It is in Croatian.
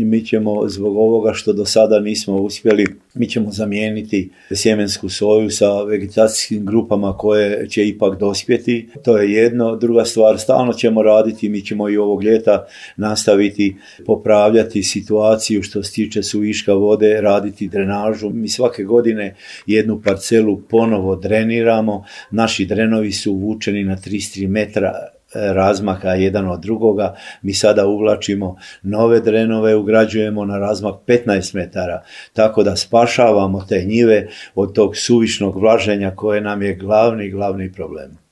mi ćemo zbog ovoga što do sada nismo uspjeli, mi ćemo zamijeniti sjemensku soju sa vegetacijskim grupama koje će ipak dospjeti. To je jedno. Druga stvar, stalno ćemo raditi, mi ćemo i ovog ljeta nastaviti popravljati situaciju što se tiče suviška vode, raditi drenažu. Mi svake godine jednu parcelu ponovo dreniramo. Naši drenovi su uvučeni na 33 metra razmaka jedan od drugoga. Mi sada uvlačimo nove drenove, ugrađujemo na razmak 15 metara, tako da spašavamo te njive od tog suvišnog vlaženja koje nam je glavni problem.